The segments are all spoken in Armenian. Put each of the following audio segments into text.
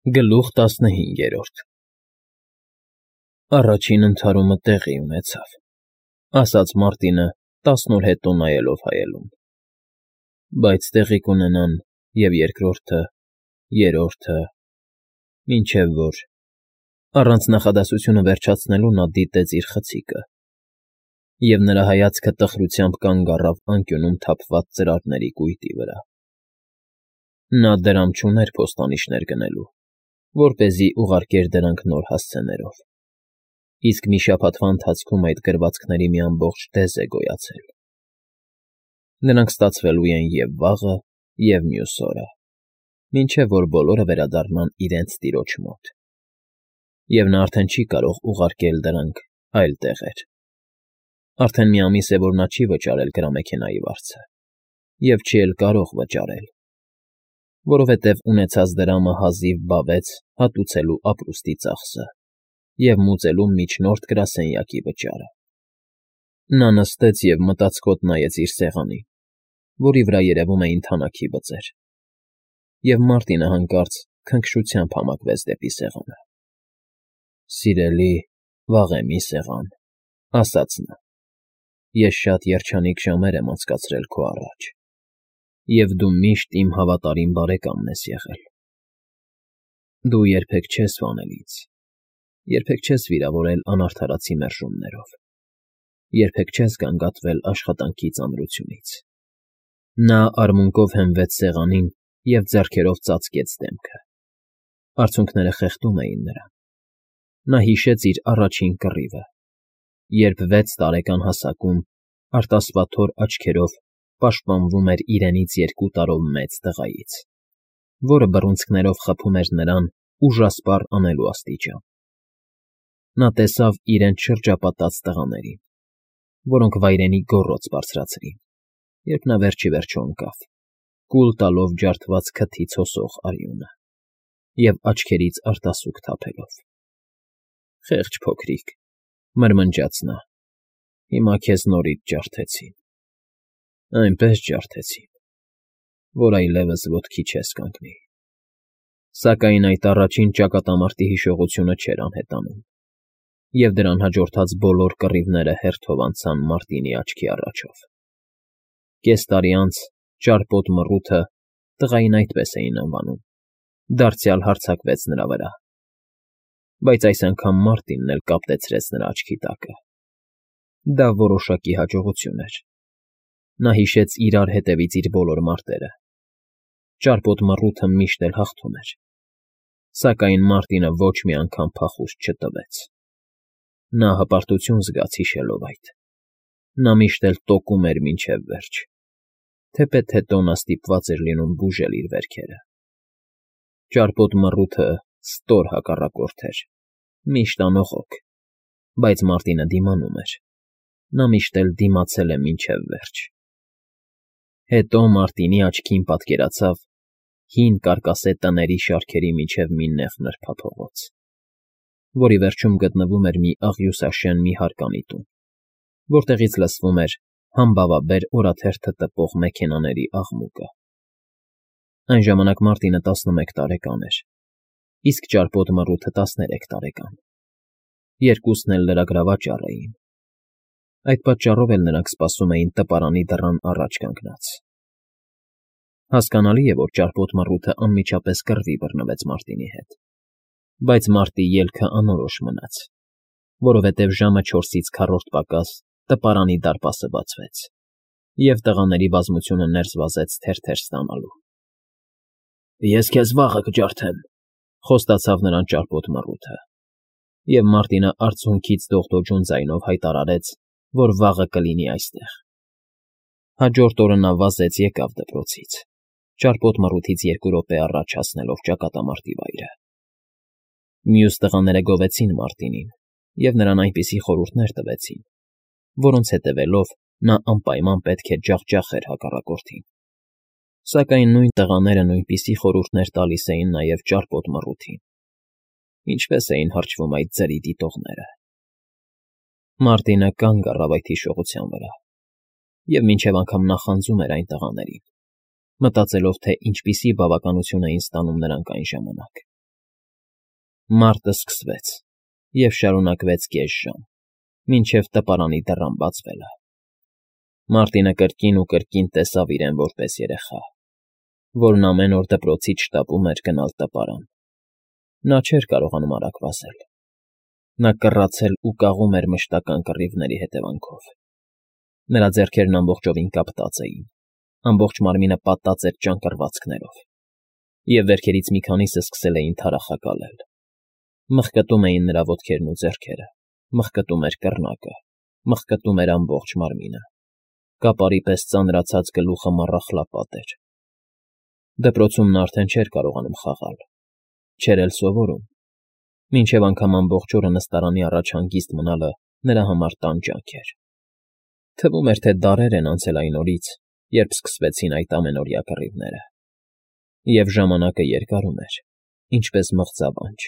Գլուխ 15 Առաջին ընդհարումը տեղի ունեցավ, ասաց Մարտինը 10 օր հետո նայելով հայելուն, բայց տեղի կունենան և երկրորդը, երրորդը, մինչև որ… Առանց նախադասությունը վերջացնելու նա դիտեց իր խցիկը, և նրա հայացքը տխրությամբ կանգ առավ անկյունում թափված ծրարների կույտի վրա. նա դրամ չուներ փոստանիշներ գնելու, որպեսզի ուղարկեր դրանք նոր հասցեներով, իսկ մի շաբաթվա ընթացքում այդ գրվածքների մի ամբողջ դեզ է գոյացել. նրանք ստացվելու են և վաղը, և մյուս օրը, մինչև որ բոլորը վերադառնան իրենց տիրոջ մոտ, և նա արդեն չի կարող ուղարկել դրանք այլ տեղեր. արդեն մի ամիս է, որ նա չի վճարել գրամեքենայի վարձը, և չի էլ կարող վճարել, որովհետև ունեցած դրամը հազիվ բավեց հատուցելու ապրուստի ծախսը և մուծելու միջնորդ գրասենյակի վճարը. նա նստեց և մտածկոտ նայեց իր սեղանին, որի վրա երևում էին թանաքի բծեր, և Մարտինը հանկարծ քնքշությամբ համակվեց դեպի սեղանը. «Սիրելի, վաղեմի սեղան,֊ ասաց նա,֊ ես շատ երջանիկ ժամեր եմ անցկացրել քո առաջ, և դու միշտ իմ հավատարիմ բարեկամն ես եղել… Դու երբեք չես վանել ինձ, երբեք չես վիրավորել անարդարացի մերժումներով, երբեք չես գանգատվել աշխատանքի ծանրությունից…» Նա արմունկով հենվեց սեղանին և ձեռքերով ծածկեց դեմքը. արցունքները խեղդում էին նրան… Նա հիշեց իր առաջին կռիվը, երբ 6 տարեկան հասակում արտասվաթոր աչքերով պաշտպանվում էր իրենից 2 տարով մեծ տղայից, որը բռունցքներով խփում էր նրան ուժասպառ անելու աստիճան… Նա տեսավ իրենց շրջապատած տղաներին, որոնք վայրենի գոռոց բարձրացրին, երբ նա վերջ ի վերջո ընկավ, կուլ տալով ջարդված քթից հոսող արյունը և աչքերից արտասուք թափելով։ «Խեղճ փոքրիկ,֊ մրմնջաց նա,֊ հիմա քեզ նորից ջարդեցին, այնպես ջարդեցին, որ այլևս ոտքի չես կանգնի…» Սակայն այդ առաջին ճակատամարտի հիշողությունը չէր անհետանում, և դրան հաջորդած բոլոր կռիվները հերթով անցան Մարտինի աչքի առաջով։ Կես տարի անց ճարպոտ մռութը (տղային այդպես էին անվանում) դարձյալ հարձակվեց նրա վրա, բայց այս անգամ Մարտինն էլ կապտեցրեց նրա աչքի տակը… Դա որոշակի հաջողություն էր… Նա հիշեց իրար հետևից իր բոլոր մարտերը… Ճարպոտ մռութը միշտ էլ հաղթում էր, սակայն Մարտինը ոչ մի անգամ փախուստ չտվեց… Նա հպարտություն զգաց հիշելով այդ… Նա միշտ էլ տոկում էր մինչև վերջ, թեպետ հետո նա ստիպված էր լինում բուժել իր վերքերը… Ճարպոտ մռութը ստոր հակառակորդ էր, միշտ անողոք, բայց Մարտինը դիմանում էր… Նա միշտ էլ դիմացել է մինչև վերջ… Հետո Մարտինի աչքին պատկերացավ հին կարկասե տների շարքերի միջև մի նեղ նրբափողոց, որի վերջում գտնվում էր մի աղյուսաշեն մի հարկանի տուն, որտեղից լսվում էր համբավաբեր օրաթերթը տպող մեքենաների աղմուկը… Այն ժամանակ Մարտինը 11 տարեկան էր, իսկ ճարպոտ մռութը 13 տարեկան… Երկուսն էլ լրագրավաճառ էին… Այդ պատճառով էլ նրանք սպասում էին տպարանի դռան առաջ կանգնած… Հասկանալի է, որ ճարպոտ մռութը անմիջապես կռվի բռնվեց Մարտինի հետ, բայց մարտի ելքը անորոշ մնաց, որովհետև ժամը 4-ից քառորդ պակաս տպարանի դարպասը բացվեց, և տղաների բազմությունը ներս վազեց թերթեր ստանալու։ «Ես քեզ վաղը կջարդեմ,֊ խոստացավ նրան ճարպոտ մռութը, և Մարտինը արցունքից դողդոջուն ձայնով հայտարարեց, որ վաղը կլինի այստեղ։ Հաջորդ օրը նա վազեց եկավ դպրոցից, ճարպոտ մռութից 2 րոպե առաջ հասնելով ճակատամարտի վայրը։ Մյուս տղաները գովեցին Մարտինին և նրան այնպիսի խորհուրդներ տվեցին, որոնց հետևելով նա անպայման պետք է ջախջախեր հակառակորդին, սակայն նույն տղաները նույնպիսի խորհուրդներ տալիս էին նաև ճարպոտ մռութին… Ինչպե՞ս էին հրճվում այդ ձրի դիտողները… Մարտինը կանգ առավ այդ հիշողության վրա և մինչև անգամ նախանձում էր այն տղաներին, մտածելով, թե ինչպիսի բավականություն էին ստանում նրանք այն ժամանակ, Մարտը սկսվեց և շարունակվեց կես ժամ, մինչև տպարանի դռան բացվելը։ Մարտինը կրկին ու կրկին տեսավ իրեն որպես երեխա, որն ամեն օր դպրոցից շտապում էր գնալ տպարան։ Նա չէր կարողանում արագ վազել։ Նա կռացել ու կաղում էր մշտական կռիվների հետևանքով։ Նրա ձեռքերն ամբողջովին կապտած էին, ամբողջ մարմինը պատած էր ճանկռվածքներով, և վերքերից մի քանիսը սկսել էին թարախակալել։ Մխկտում էին նրա ոտքերն ու ձեռքերը, մխկտում էր կռնակը, մխկտում էր ամբողջ մարմինը, կապարի պես ծանրացած գլուխը մառախլապատ էր։ Դպրոցում նա արդեն չէր կարողանում խաղալ, չէր էլ սովորում, մինչև անգամ ամբողջ օրը նստարանի առաջ հանգիստ մնալը նրա համար տանջանք էր։ Թվում էր, թե դարեր են անցել այն օրից, երբ սկսվեցին այդ ամենօրյա կռիվները, և ժամանակը երկարում էր, ինչպես մղձավանջ,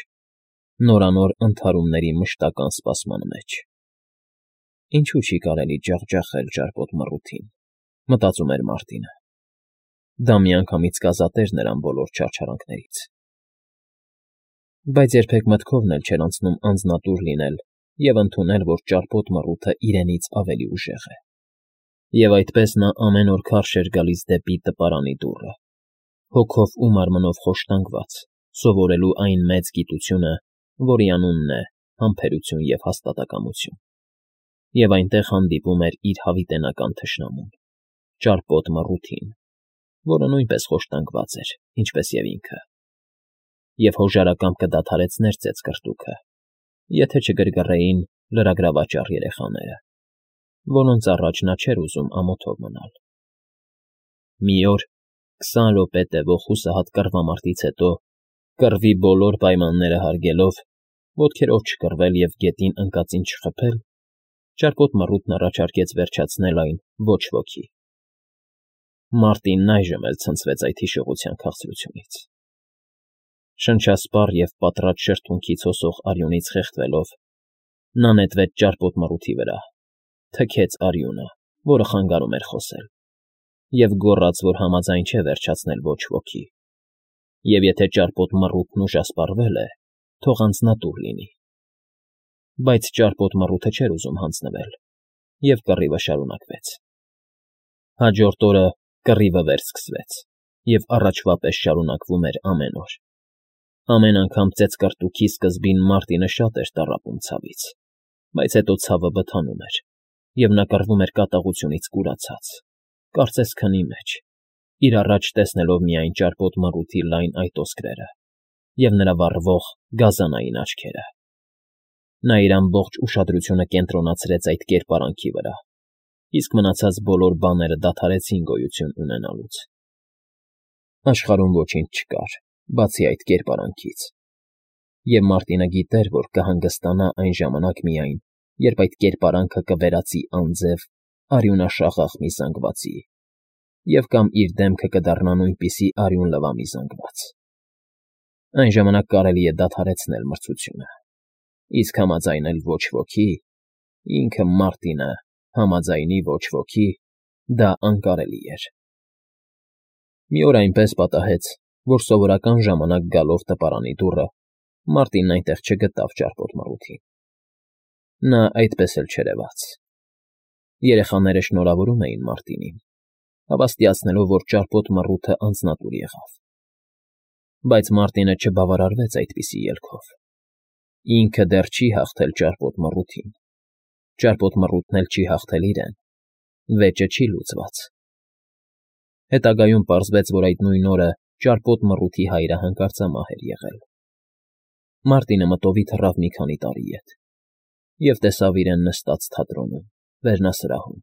նորանոր ընդհարումների մշտական սպասման մեջ։ Ինչու չի կարելի ջախջախել ճարպոտ մռութին, մտածում էր Մարտինը։ Դա միանգամից կազատեր նրան բոլոր չարչարանքներից։ Բայց երբեք մտքովն էլ չէր անցնում անձնատուր լինել և ընդունել, որ ճարպոտ մռութը իրենից ավելի ուժեղ է։ Եվ այդպես նա ամեն օր քարշ էր գալիս դեպի տպարանի դուռը, հոգով ու մարմնով խոշտանգված, սովորելու այն մեծ գիտությունը, որի անունն է համբերություն և հաստատակամություն։ Եվ այնտեղ հանդիպում էր իր հավիտենական թշնամուն՝ ճարպոտ մռութին, որը նույնպես խոշտանգված էր, ինչպես և ինքը, և հոժարակամբ կդադարեցներ ծեծկռտուքը, եթե չգրգռեին լրագրավաճառ երեխաները, որոնց առաջ նա չէր ուզում ամոթով մնալ։ Մի օր, 20 րոպե տևող հուսահատ կռվամարտից հետո, կռվի բոլոր պայմանները հարգելով, ոտքերով չկռվել և գետին ընկածին չխփել, ճարպոտ մռութն առաջարկեց վերջացնել այն ոչ ոքի։ Մարտինն այժմ էլ ցնցվեց այդ հիշողության քաղցրությունից։ Շնչասպառ և պատռած շրթունքից հոսող արյունից խեղդվելով, նա նետվեց ճարպոտ մռութի վրա, թքեց արյունը, որը խանգարում էր խոսել, և գոռաց, որ համաձայն չէ վերջացնել ոչ ոքի, և եթե ճարպոտ մռութն ուժասպառվել է, թող անձնատուր լինի։ Բայց ճարպոտ մռութը չէր ուզում հանձնվել, և կռիվը շարունակվեց։ Հաջորդ օրը կռիվը վերսկսվեց, և առաջվա պես շարունակվում էր ամեն օր։ Ամեն անգամ ծեծկռտուքի սկզբին Մարտինը շատ էր տառապում ցավից, բայց հետո ցավը բթանում էր, և նա կռվում էր կատաղությունից կուրացած, կարծես քնի մեջ, իր առաջ տեսնելով միայն ճարպոտ մռութի լայն այտոսկրերը և նրա վառվող գազանային աչքերը։ Նա իր ամբողջ ուշադրությունը կենտրոնացրեց այդ կերպարանքի վրա, իսկ մնացած բոլոր բաները դադարեցին գոյություն ունենալուց։ Աշխարհում ոչինչ չկար, բացի այդ կերպարանքից, և Մարտինը գիտեր, որ կհանգստանա այն ժամանակ միայն, երբ այդ կերպարանքը կվերածի անձև, արյունաշաղախ մի զանգվածի, և կամ իր դեմքը կդառնա նույնպիսի արյուն լվա մի զանգված։ Այն ժամանակ կարելի է դադարեցնել մրցությունը, իսկ համաձայնել ոչ ոքի, ինքը Մարտինը համաձայնի ոչ ոքի, դա անկարելի էր։ Մի օր այնպես պատահեց, որ սովորական ժամանակ գալով տպարանի դուռը, Մարտինն այնտեղ չգտավ ճարպոտ մռութին։ Նա այդպես էլ չերևաց։ Երեխաները շնորհավորում էին Մարտինին, հավաստիացնելով, որ ճարպոտ մռութը անձնատուր եղավ։ Բայց Մարտինը չբավարարվեց այդպիսի ելքով։ Ինքը դեռ չի հաղթել ճարպոտ մռութին, ճարպոտ մռութն էլ չի հաղթել իրեն, վեճը չի լուծված։ Հետագայում պարզվեց, որ այդ նույն օրը ճարպոտ մռութի հայրը հանկարծամահ էր եղել։ Մարտինը մտովի թռավ մի քանի տարի ետ և տեսավ իրեն նստած թատրոնում, վերնասրահում։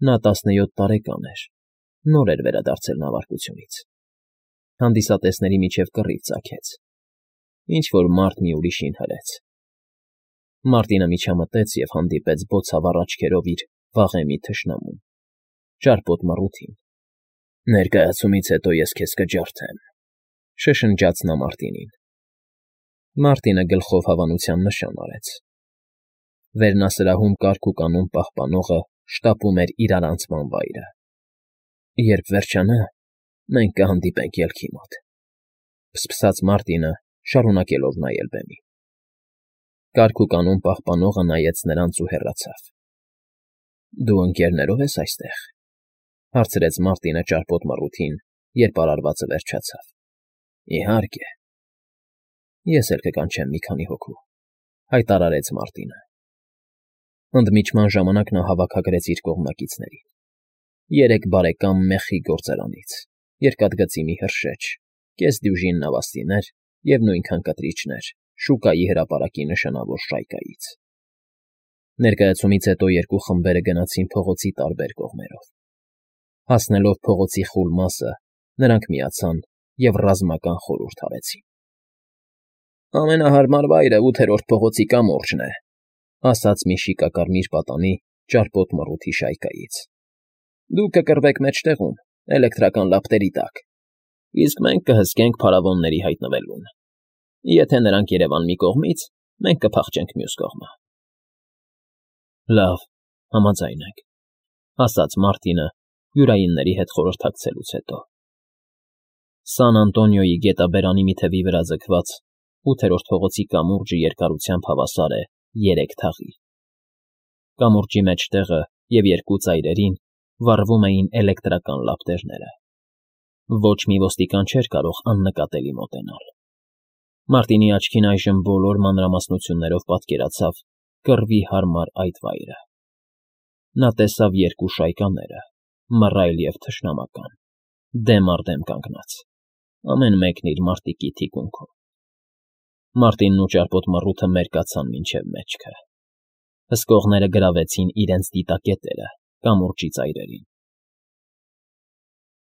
Նա 17 տարեկան էր, նոր էր վերադարձել նավարկությունից։ Հանդիսատեսների միջև կռիվ ծագեց։ Ինչ֊որ մարդ մի ուրիշին հրեց։ Մարտինը միջամտեց և հանդիպեց բոցավառ աչքերով իր վաղեմի թշնամուն՝ ճարպոտ մռութին։ «Ներկայացումից հետո ես քեզ կջարդեմ», ֊ շշնջաց նա Մարտինին։ Մարտինը գլխով հավանության նշան արեց։ Վերնասրահում կարգ ու կանոն պահպանողը շտապում էր իրարանցման վայրը։ «Երբ վերջանա, մենք կհանդիպենք ելքի մոտ», ֊ ֆսֆսաց Մարտինը շարունակելով նայել բեմին։ Կարգ ու կանոն պահպանողը նայեց նրանց ու հեռացավ։ ֊ Դու ընկերներո՞վ ես այստեղ,֊ հարցրեց Մարտինը ճարպոտ մռութին, երբ արարվածը վերջացավ։ ֊ Իհարկե։ ֊ Ես էլ կկանչեմ մի քանի հոգու,֊ հայտարարեց Մարտինը։ Ընդմիջման ժամանակ նա հավաքագրեց իր կողմնակիցներին. 3 բարեկամ մեխի գործարանից, երկաթգծի մի հրշեջ, կեսդյուժին նավաստիներ և նույնքան կտրիչներ շուկայի հրապարակի նշանավոր շայկայից։ Ներկայացումից հետո երկու խմբերը գնացին փողոցի տարբեր կողմերով։ Հասնելով փողոցի խուլ մասը, նրանք միացան և ռազմական խորհուրդ արեցին։ «Ամենահարմար վայրը 8-րդ փողոցի կամուրջն է,֊ ասաց մի շիկակարմիր պատանի ճարպոտ մռութի շայկայից։ Դուք կկռվեք մեջտեղում, էլեկտրական լապտերի տակ, իսկ մենք կհսկենք փարավոնների հայտնվելուն։ Եթե նրանք երևան մի կողմից, մենք կփախչենք մյուս կողմը»։ ֊ Լավ, համաձայն ենք,֊ ասաց Մարտինը յուրայինների հետ խորհրդակցելուց հետո։ Սան Անտոնիոյի գետաբերանի մի թևի վրա ձգված 8-րդ փողոցի կամուրջը երկարությամբ հավասար է 3 թաղի։ Կամուրջի մեջտեղը և երկու ծայրերին վառվում էին էլեկտրական լապտերները։ Ոչ մի ոստիկան չէր կարող աննկատելի մոտենալ։ Մարտինի աչքին այժմ բոլոր մանրամասնություններով պատկերացավ կռվի հարմար այդ վայրը։ Նա տեսավ երկու շայկաները՝ մռայլ և թշնամական, դեմ առ դեմ կանգնած, ամեն մեկն իր մարտիկի թիկունքում։ Մարտինն ու ճարպոտ մռութը մերկացան մինչև մեջքը։ Հսկողները գրավեցին իրենց դիտակետերը կամուրջի ծայրերին։